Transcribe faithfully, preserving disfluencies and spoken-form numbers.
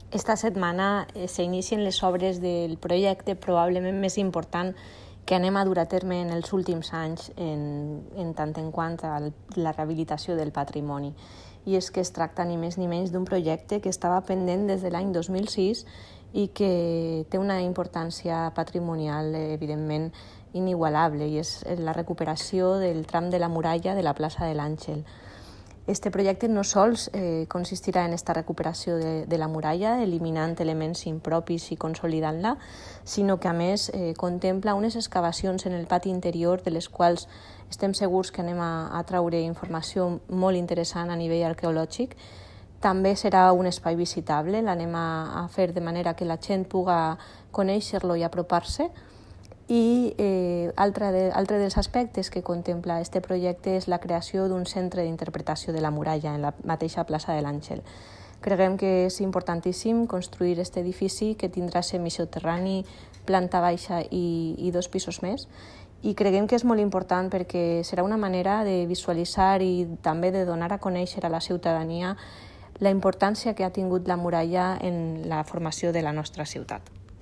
Esta setmana eh, s'inicien les obres del projecte probablement més important que anem a dur a terme en els últims anys en, en tant en quant a la rehabilitació del patrimoni. I és que es tracta ni més ni menys d'un projecte que estava pendent des de l'any dos mil sis i que té una importància patrimonial, evidentment, inigualable, i és la recuperació del tram de la muralla de la plaça de l'Àngel. Este projecte no sols eh, consistirà en esta recuperació de, de la muralla, eliminant elements impropis i consolidant-la, sinó que a més eh, contempla unes excavacions en el pati interior de les quals estem segurs que anem a, a traure informació molt interessant a nivell arqueològic. També serà un espai visitable, l'anem a, a fer de manera que la gent puga conèixer-lo i apropar-se. I eh, altre, de, altre dels aspectes que contempla este projecte és la creació d'un centre d'interpretació de la muralla en la mateixa plaça de l'Àngel. Creiem que és importantíssim construir aquest edifici que tindrà semisoterrani, planta baixa i, i dos pisos més, i creiem que és molt important perquè serà una manera de visualitzar i també de donar a conèixer a la ciutadania la importància que ha tingut la muralla en la formació de la nostra ciutat.